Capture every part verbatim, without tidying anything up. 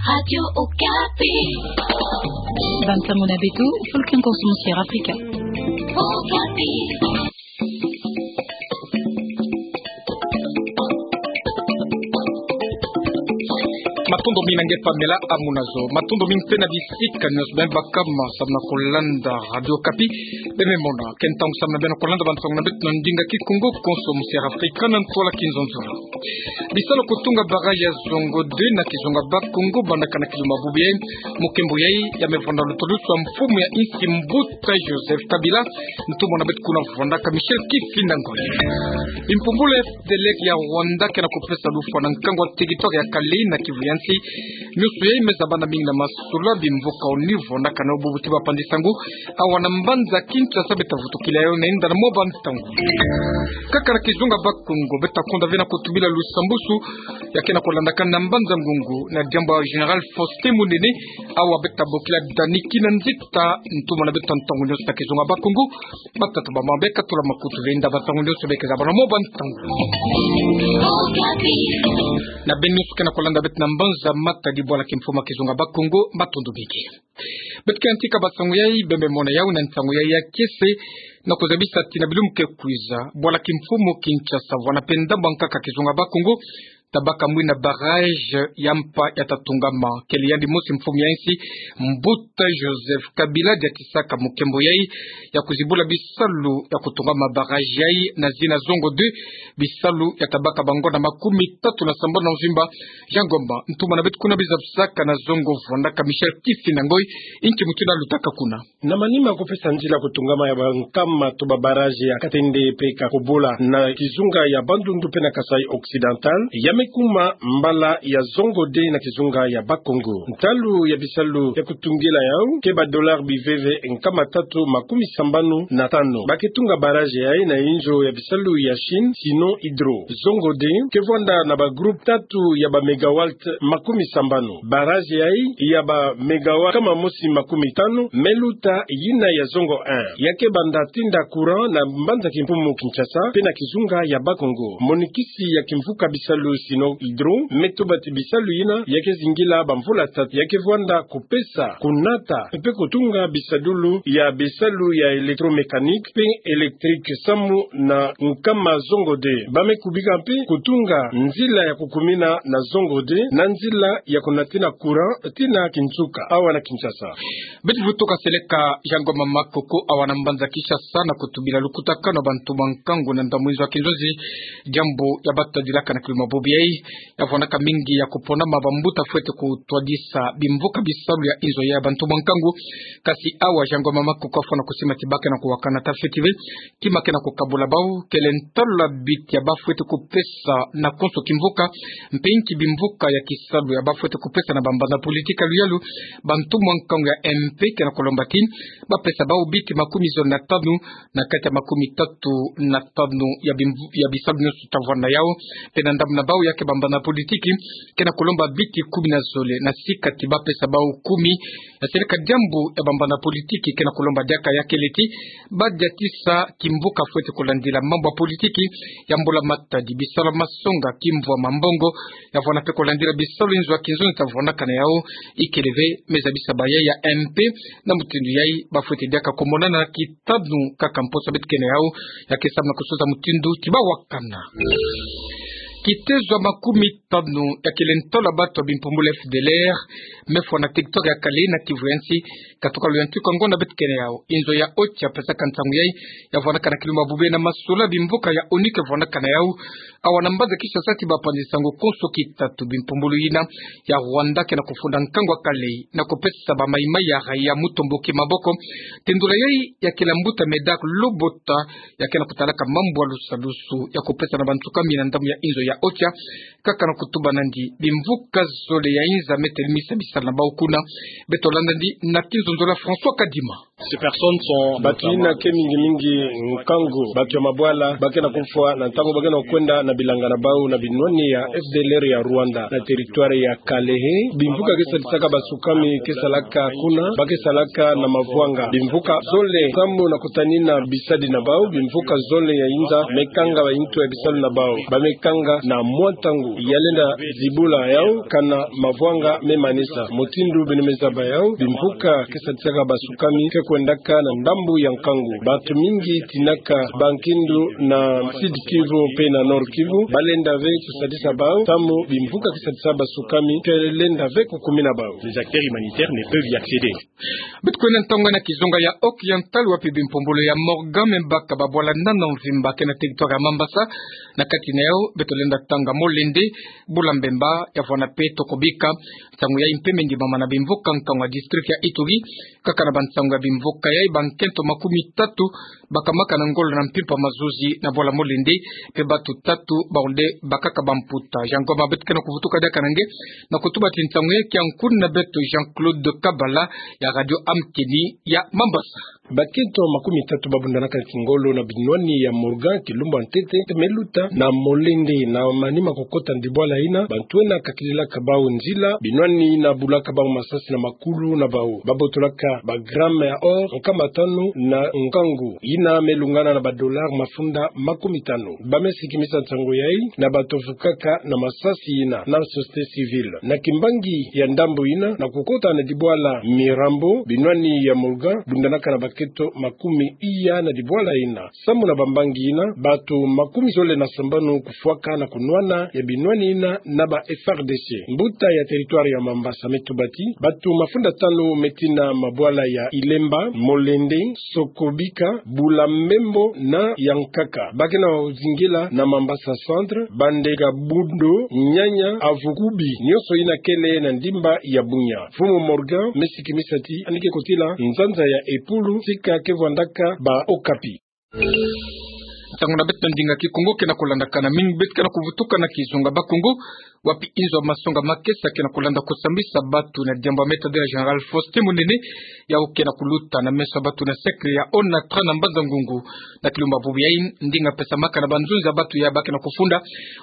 Radio Okapi. Bantango na beto, folklore konso mo Sierra Afrika. Okapi. Matondo mingi na nge Pamela Amunazo. Matondo mingi mpe na bisika nyonso beno baka ma samna kolanda Radio Okapi. Beno mona ke ntangu samna beno kolanda bantango na beto na ndinga Kikongo konso mo Sierra Afrika na ntwala Kinzonzolo. Bisalu kutunga barrage ya Zongo deux na kizunga Bas-Congo bandaka na kiluma bubu yai, mukembo yai ya mevwanda lutulusu a mfumu ya insi Mbuta Joseph Kabila, ntumwa na beto kuna vwandaka Michel Kifinda Ngoyi. Bimpumbulu ya F D L R ya Rwanda ke na kupesa lufwa na nkangu wa territoire ya Kale na Kivu ya nsi. Nyonso yai me zabana mingi na masula bimvuka ONU vwandaka nao bubu ti bapanzi nsangu awa na mbanza Kinshasa. Beta vutukila yayo na inda na mwa bantangu. Kaka na kizunga Bas-Congo, beta konda ve na kutubila lusambusu ya ke na kulandakana na mbanza Ngungu, na diambu ya Général Faustin Munene, awa beta bokila Dani Kinanzita, ntumwa na beto ntangu nyonso na kizunga Bas-Congo. Batata, bamama, beka tula makutu ve inda bantangu nyonso beka zabana na mwa bantangu. Na beno nyonso ke na kulanda beto na mbanza Matadi, bwala kimfumu ya kizunga Bas-Congo, matondo mingi. Beto ke yantika bansangu yai, beno me mona yau na nsangu yai ya kiese, na kuzabisa ti na bilumbu ke kwiza, bwala kimfumu Kinshasa, vwanda mpe ndambu ya nkaka kizunga Bas-Congo, tabaka mwina barrage ya mpa ya tatungama, kele yandi mosi mfumu ya insi, Mbuta Joseph Kabila, diatisaka mukembo yai ya kuzibula bisalu ya kutungama barrage yai na zina Zongo deux, bisalu ya tabaka bangonda makumi tatu na sambanu na mvimba. Jean Ngoma, ntumwa na beto kuna bizabisaka na Zongo, vwandaka Michel Kifinda Ngoyi, inki mutindu lutaka kuna? Na manima kupesa nzila kutungama ya bankama tatu ba barrage ya Katende mpe Kakobola na kizunga ya Bandundu mpe na Kasaï Occidental, ya me kuma mbala ya Zongo deux na kizunga ya Bas-Congo. Ntalu ya bisalu ya kutungila yau ke ba dollars biveve nkama tatu makumi sambanu na tanu. Ba ke tunga barrage yai na inzo ya bisalu ya Chine, Sino Hydro. Zongo deux ke vwanda na ba groupe tatu ya ba mégawatts makumi sambanu. Barrage yai ya ba mégawatts nkama mosi makumi tanu me luta yina ya Zongo un, ya ke banda tinda courant na mbanza kimfumu Kinshasa mpe na kizunga ya Bas-Congo. Monikisi ya kimvuka bisalu Sino Hydro me tuba ti bisalu yina ya ke zingila bamvula tatu, ya ke vwanda kupesa, kunata mpe kutunga bisadulu ya bisalu ya électromécanique mpe électrique samu na nkama Zongo deux. Ba me kubika mpe kutunga nzila ya kukumina na Zongo deux na nzila ya kunatina courant tii na kinsuka awa na Kinshasa. Beto vutuka seleka Jean Ngoma Makoko awa na mbanza Kinshasa na kutubila lukutakanu ya bantu ba nkangu na ndambu inzo ya kinzonzi, diambu ya batadilaka na kiluma bubu yai, ya vwandaka mingi ya kuponama bambuta fwete kutwadisa bimvuka bisalu ya inzo ya bantu ba nkangu. Kasi awa Jean Ngoma Makoko afwana kusima ti ba ke na kuwakana ta fweti ve kima ke na kukabula bau, kele ntalu ya biti ya ba fwete kupesa na konso kimvuka, mpe inki bimvuka ya kisalu ya ba fwete kupesa na bambanza politiki ya luyalu. Bantu ba nkangu ya M P ke na kulomba ti ba pesa bau biti makumi zole na tanu na kati ya makumi tatu na tanu ya bimvu-, ya bisalu nyonso ta vwanda yau. Mpe na ndambu na bau ya ke bambanza politiki ke na kulomba biti kumi na zole, na sika ti ba pesa bau kumi. Ya seleka diambu ya bambanza politiki ke na kulomba diaka ya kele ti ba diatisa kimvuka fwete kulandila mambu ya politiki ya Mbula Matadi, bisalu ya masonga, kimvwama, mbongo, ya vwanda mpe kulandila bisalu inzo ya kinzonzi ta vwandaka na yau. Ikele ve, me zabisa bayai ya M P na mutindu yai ba fwete diaka kumonana ki tanu kaka mposo beto ke na yau. Ya ke samu na kusuza mutindu ti ba wakana. Kitezo ya makumi tanu ya kele ntalu ya batu ya bimpumbulu F D L R me fwa na territoire ya Kale na Kivu ya nsi, katuka luyantiku ya ngonda beto ke na yau. Inzo ya Ocha pesaka nsangu yai, ya vwandaka na kiluma bubu yai na masula bimvuka ya ONU ke vwandaka na yau. Awa na mbanza Kinshasa ti bapanzi nsangu konso kitatu, bimpumbulu yina ya Rwanda ke na kufunda nkangu wa Kale na kupesa ba maimai ya raïa mutomboki maboko. Tendula yai ya kele mbuta Medard Lobota, ya ke na kutalaka mambu ya lusalusu ya kupesa na bansuka mina ndambu ya inzo ya Ocha, kaka na kutuba nandi bimvuka zole ya inza me telemisa bisalu na bau kuna. Beto landa nandi na kinzonzolo ya François Kadima. Bato yina ke mingi mingi nkangu, bato ya mabwala, ba ke na kufwa na ntangu ba ke na kwenda na bilanga na bau na binwani ya F D L R ya Rwanda, na territoire ya Kalehe. Bimvuka ke sadisaka basukami ke salaka kuna, ba ke salaka na mavwanga. Bimvuka zole samu na kutanina bisadi na bau, bimvuka zole ya inza, me kanga ba intu ya bisalu na bau. Ba me kanga na mwa ntangu, ya lenda zibula yau, kana mavwanga me manisa. Mutindu beno me zaba yau, bimvuka ke sadisaka basukami ke kwendaka na ndambu ya nkangu. Bato mingi tinaka bankindu na Sud Kivu mpe na Nord Kivu, ba lenda ve kusadisa bau, samu bimvuka ke sadisa basukami ke lenda ve kukumina bau. Les acteurs humanitaires ne peuvent y accéder. Beto kwenda ntangu na kizunga ya Occidental, wapi bimpumbulu ya Morgan me baka babwala nana mvimba ke na territoire ya Mambasa, na kati na yau beto lenda tanga Molende, Bula Mbemba, ya vwana mpe Tokobika. Nsangu yayi mpe me ndimama na bimvuka nkangu ya district ya Ituri, kaka na bansangu ya bimvuka yayi, bankento makumi tatu bakamaka na ngolo na mpimpa mazuzi na bwala Molende, mpe bato tatu bawu nde bakaka bamputa. Jean Ngoma, beto ke na kuvutuka diaka na nge, na kutuba ti nsangu yayi kia nkuni na beto Jean-Claude Kabala ya Radio Amkeni ya Mambasa. Bakento makumi tatu babundanaka na kingolo na binwani ya Morgan kilumbu ya ntete, me luta na Molende, na manima kukota na dibwala yina, bantu yina kakililaka bau nzila, binwani yina bulaka bau masasi na makulu na bau. Babotolaka ba gramme ya or nkama tanu na nkangu, yina me lungana na ba dollars mafunda makumi tanu. Ba me sikimisa nsangu yayi na bato vukaka na masasi yina na société civile. Na kimbangi ya ndambu yina, na kukota na dibwala Mirambo, binwani ya Morgan bundanaka na bakento makumi iya na dibwala yina. Samu na bambangi yina, bato makumi zole na sambanu kufwaka na kunwana ya binwani yina na ba F A R D C. Mbuta ya territoire ya Mambasa me tuba ti bato mafunda tanu me tina mabwala ya Ilemba, Molende, Sokobika, Bula Mbembo na Yankaka. Ba ke na zingila na Mambasa Centre, Bandega, Bundo, Nyanya, Avukubi, nyonso yina kele na ndimba ya Bunia. Mfumu Morgan me sikimisa ti yandi ke kotila nzanza ya Epulu, tika ke vwandaka ba Okapi. Nsangu na beto na ndinga Kikongo ke na kulandakana mingi, beto ke na kuvutuka na kizunga Bakongo, wapi inzo ya masonga makesa ke na kulanda kusambisa bato na diambu ya me tadila Général Faustin Munene, yau ke na kuluta na meso ya bato na cercle ya Onatra na Mbanza-Ngungu. Na kilumbu ya bubu yayi, ndinga pesamaka na banzunza ya bato ya ba ke na kufunda,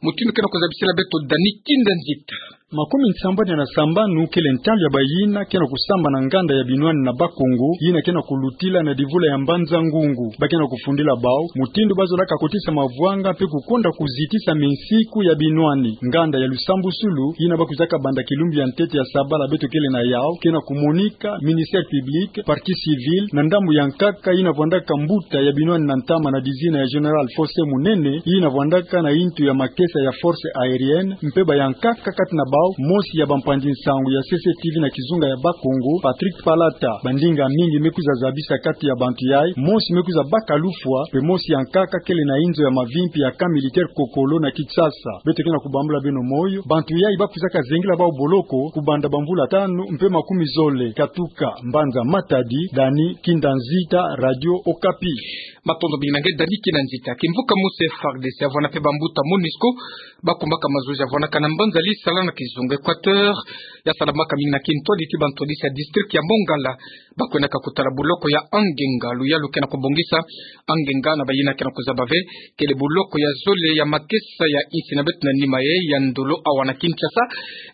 mutindu ke na kuzabisila beto Dani Kinda Nzita. Makumi nsambwadi na sambanu kele ntalu ya bayina ke na kusamba na nganda ya binwani na Bakongo, yina ke na kulutila na divula ya Mbanza-Ngungu. Ba ke na kufundila bau mutindu ba zolaka kotisa mavwanga mpe kukonda kuzitisa minsiku ya binwani. Nganda ya lusambusulu, yina ba kwizaka banda kilumbu ya ntete ya sabala beto kele na yau, ke na kumonika ministère public, partie civile, na ndambu ya nkaka yina vwandaka mbuta ya binwani na ntama na dizina ya Général Faustin Munene, yina vwandaka na yintu ya makesa ya force aérienne, mpe ba ya nkaka kati na bau, mosi ya bampangi nsangu ya C C T V na kizunga ya Bakongo, Patrick Palata. Bandinga mingi me kwiza zabisa kati ya bantu yayi, mosi me kwiza baka lufwa, mpe mosi ya nkaka kele na inzo ya mavimpi ya camp militaire Kokolo na Kinshasa. Beto ke na kubambula beno moyo, bantu yayi ba kwizaka zengila bau boloko kubanda bamvula tanu mpe makumi zole. Katuka Mbanza Matadi, Dani Kinda Nzita, Radio Okapi. Matondo mingi na nge Dani Kinda Nzita. Kimvuka mosi F A R D C ya vwana mpe bambuta MONUSCO, ba kumbaka mazuzi ya vwanakana mbanza Lisala na kizunga Équateur, ya salamaka mingi na kintwadi ti bantwadisi ya district ya Mongala. Ba kwendaka kutala buloko ya Angenga, luyalu ke na kubongisa Angenga na bayina ke na kuzaba ve, kele buloko ya zole ya makesa ya insi na beto na nima yayi ya ndolo awa na Kinshasa.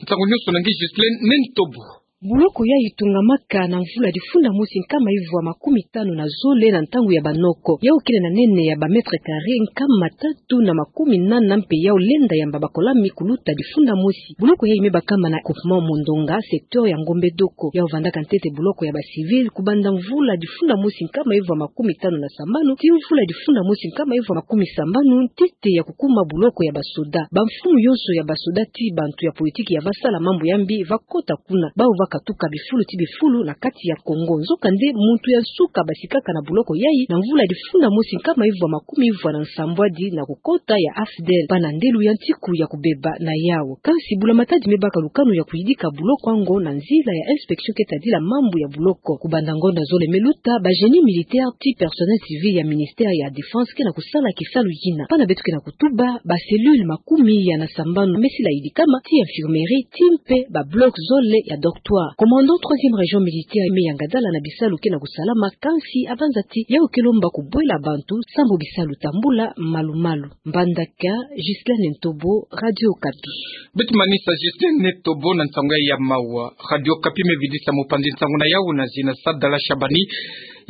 Nsangu nyonso na nge Ghislaine Nentobo. Buloko yayi itungamaka na mvula difunda mosi nkama ivwa makumi tanu na zole na ntangu ya banoko. Yau kele na nene ya ba mètres carrés nkama tatu na makumi nana mpe yau lenda yamba bakolami kuluta difunda mosi. Buloko yayi me bakama na groupement Mondonga, secteur ya Ngombe Doko. Yau vandaka ntete buloko ya ba civils kubanda mvula difunda mosi nkama ivwa makumi tanu na sambanu tii mvula difunda mosi nkama ivwa makumi sambanu, ntete ya kukuma buloko ya basoda. Bamfumu yonso ya basoda tii bantu ya politiki ya vasala mambu ya mbi vakota kuna. Bau vakatuka bifulu tii bifulu na kati ya Kongo. Nzokande muntu ya nsuka basikaka na buloko yayi na mvula difunda mosi nkama ivwa makumi ivwa na nsambwadi na kukota ya AFDL, bana ndelu ya ntiku ya kubeba na yau. Kansi bula matadi me baka lukanu ya kuyidika buloko yango na nzila ya inspection ke tadila mambu ya buloko. Kubanda ngonda zole me luta, ba génie militaire tii personnel civil ya ministère ya défense ke na kusala kisalu yina. Bana beto ke na kutuba, ba cellule makumi iya na sambanu me sila yidikama tii infirmerie tii mpe ba bloc zole ya dortoir. Commandant troisième région militaire me yanga dala na bisalu ke na kusalama, kansi abanzati ya ukelo mba kubwela bantu sambu bisalu tambula malu-malu. Mbandaka, Ghislaine Ntobo, Radio Okapi. Beti manisa Ghislaine Ntobo na nsangu ya mawa. Radio Okapi me vidisa mupanzi nsangu na yawu na zina Sadala Shabani.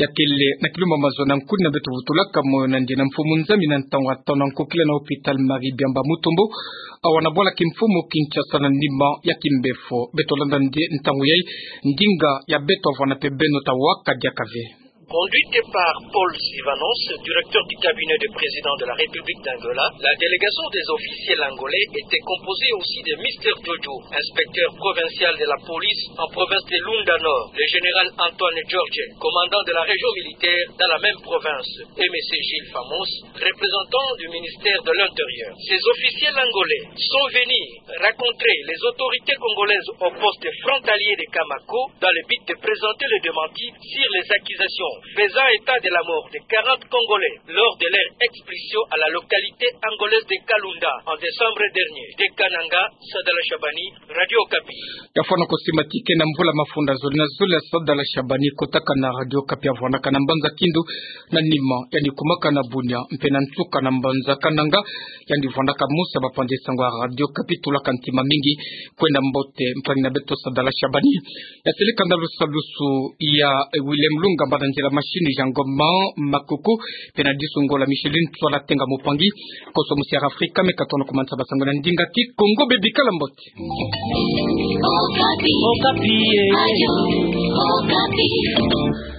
Ya kele na kilumbu mazono nkuni na beto vutulaka moyo na ndiena mfumu nzami na ntangu ya tona nkokila na hôpital Marie Biamba Mutombo, awa na bwala kimfumu Kinshasa na nima ya kimbefo. Beto landa nde ntangu yayi, ndinga ya beto avwanda mpe beno, tawaka diaka ve. Conduite par Paul Sivanos, directeur du cabinet du président de la République d'Angola, la délégation des officiels angolais était composée aussi de Mister Jojo, inspecteur provincial de la police en province de Lunda Nord, le général Antoine George, commandant de la région militaire dans la même province, et Monsieur Gilles Famos, représentant du ministère de l'Intérieur. Ces officiels angolais sont venus rencontrer les autorités congolaises au poste frontalier de Kamako dans le but de présenter le démenti sur les accusations faisant état de la mort de quarante Congolais lors de leur expulsion à la localité angolaise de Kalunda en décembre dernier. De Kananga, Sadala Shabani, Radio Okapi. Ya fwana ko simatike na mvula mafunda zole na zole ya Sadala Shabani, kotaka na Radio Okapi, avwanaka na mbanza Kindu na nima, yandi kumaka na Bunia mpe na nsuka na mbanza Kananga. Yandi vwandaka mosi ya bapanzi nsangu ya Radio Okapi. Tulaka ntima mingi, kwenda mbote mpangi na beto Sadala Shabani. Ya sele kanda lusalusu ya, eh, Willem Lunga, mbanda nzila machine Jean Goma Makuku, mpe na disu ngolo Micheline Tswala Tenga Mupangi. Koso musi ya Afrika, me katono ko manisa basango na ndinga Kikongo, bebikala mbote. Okapi. Okapi, eh.